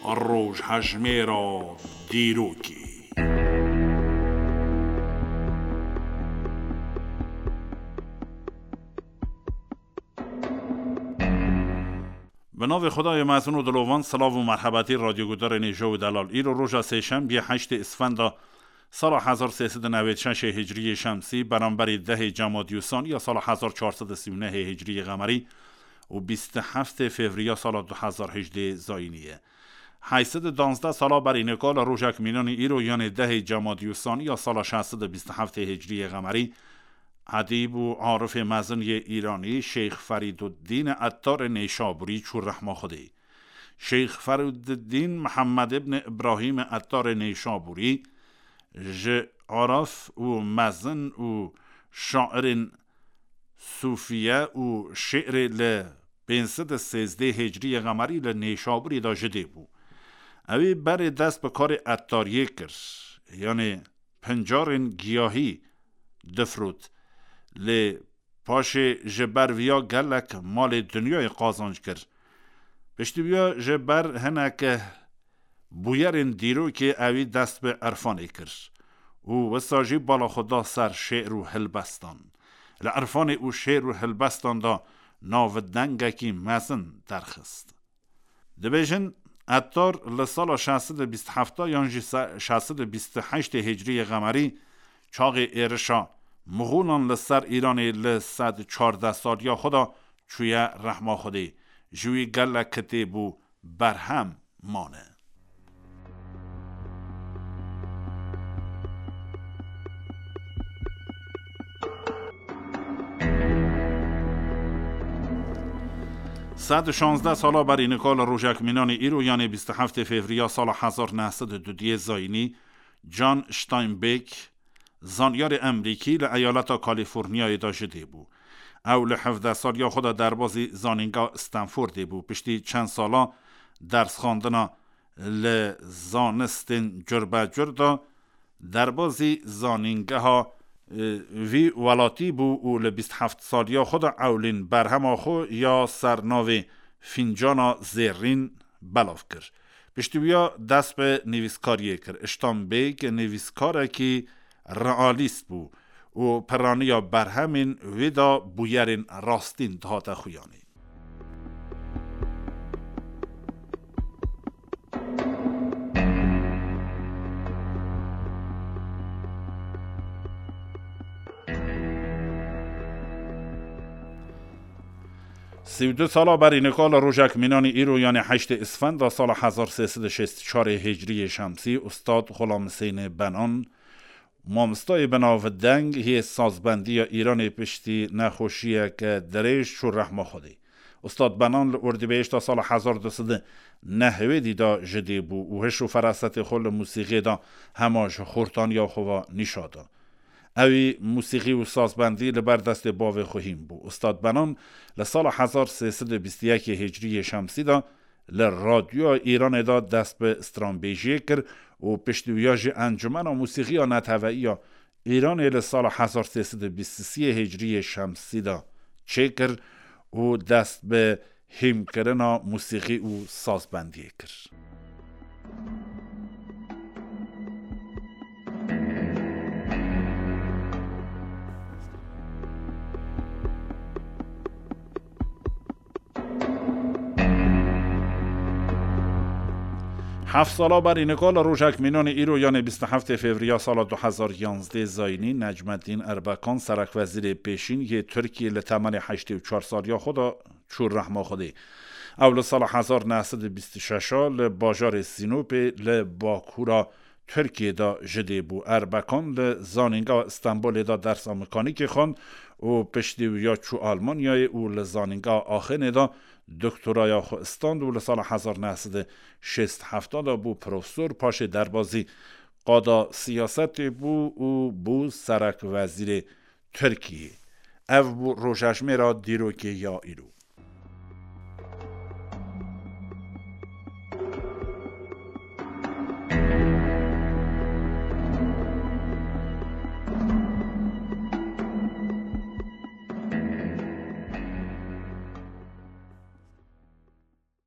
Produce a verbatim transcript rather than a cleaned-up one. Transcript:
Rojhejmêra dîrokê. Bi navê Xwedayê mezin û dilovan, silav û merhebetî radyogudarên hêja û delal. Îro roja sêşembiyê heştê Isfenda sala hezar sê sed û newêd şeşê hicriyê şemsî, beramberî dehê Cemadiyûsaniya sala hezar çar sed û sî û nehê hicriyê qemerî û bîst û heftê Fevriya sala du hezar hejdê zayînî ye. Heyt sed û danzdeh sala berî nika li rojek mînanî îro, yanê dehê Cemadiyûsaniya sala şeş sed û bîst û heftê hicriyê qemerî, edîb û arifê mezin yê Îranî Şeyx Ferîduddîn Ettarê Nêşabûrî çû rehma Xwedê. Şeyx Ferîduddîn Mihemed ibn Îbrahîm Ettarê Nêşabûrî ji arif û mezin û şairên sûfiye û şi'rê li pênc sed û sêzdeh hicriyê qemerî li Nêşabûrê de ji dê bû. Ewî berê dest bi karê ettariyê kir, yanê pincarên giyahî difrot. Lê paşê ji ber viya gelek malê dinyayê qazanc kir. Piştî wiya ji ber hineke bûyerên dîrokê ewî dest bi irfanê kir û wisa jî bala xwe da ser şê'r û hilbestan. Li irfanê û şê'r û hilbestan de navdengekî mezin derxist. Dibêjin, Ettar li sala şeş sed û bîst û heft yan jî se-, şeş sed û bîst û heştê hicriyê qemerî, çaxê êrişa Mixûlan li ser Îranê li sed çardeh saliya xwe de çûye rehma Xwedê. Ji wî gelek kitêb û berhem mane. Sed û şazdeh sala berî nika li rojek mînanê îro, yanê bîst û heftê Fevriya sala hezar neh sed û duduyê zayînî, John Steinbeck, zanyarê Emerîkî li eyaleta Kalîforniyayê de ji dê bû. Ew li hevdeh saliya xwe de derbazî zanîngeha Stanfordê bû. Piştî çend sala dersxandina li zanistên curbecur de derbazî zanîngeha, e, vî welatî bû û li bîst heft saliya xwe de ewlîn berhema xwe ya ser navê Fîncana Zêrîn belav kir. Piştî wiya dest bi nivîskariyê kir. Steinbeck nivîskarekî realîst bû û piraniya berhemên wê de bûyerên rastîn dihate xuyanê. Sî û du sala berî nika li rojek mînanî îro, yanê heştê Isfenda sala hezar sê sed û şêst û çarê hicriyê şemsî, Ustad Xulam Husênê Benan, mamostayê bi navdeng yê sazbendiya Îranê, piştî nexweşiyeke dirêj çû rehma Xwedê. Ustad Benan li Ordîbehişta sala hezar du sed û nehwêdî de ji dê bû û hiş û ferasetê xwe li mûsîqiyê de hema ji xortaniya xwe ve nîşa da. Ewî mûsîqî û sazbendî li ber destê bavê xwe hîn bû. Ustad Benan li sala hezar sê sed û bîst û yekê hicriyê şemsî de li Radyoya Îranê de dest bi stranbêjiyê kir û piştî wiya jî Encûmena Mûsîqiya Neteweyî ya Îranê li sala hezar sê sed û bîst û sê hicriyê şemsî de çêkir û dest bi hîmkirina mûsîqî û sazbendiyê kir. Heft sala berî nika li rojek mînanê îro, yanê bîst û heftê Fevriya sala du hezar yanzdeh zayînî, Necmeddîn Erbekan, serekwezîrê pêşîn yê Tirkiyê, li temenê heştê û çar saliya xwe de çû rehma Xwedê. Ew li sala hezar neh sed û bîst û şeş a li bajarê Sînopê li bakûra Tirkiyê de ji dê bû. Erbekan li Zanîngeha Stenbolê de dersa mekanîkê xwend û piştî wiya çû Almanyayê û li Zanîngeha Axênê de doktoraya xwe stand û li sala hezar neh sed û şêst heft de bû profesor, paşê derbazî qada siyasetê bû û bû serek wezîrê Tirkiyê. Ev bû rojejmêra dîrokê ya îro.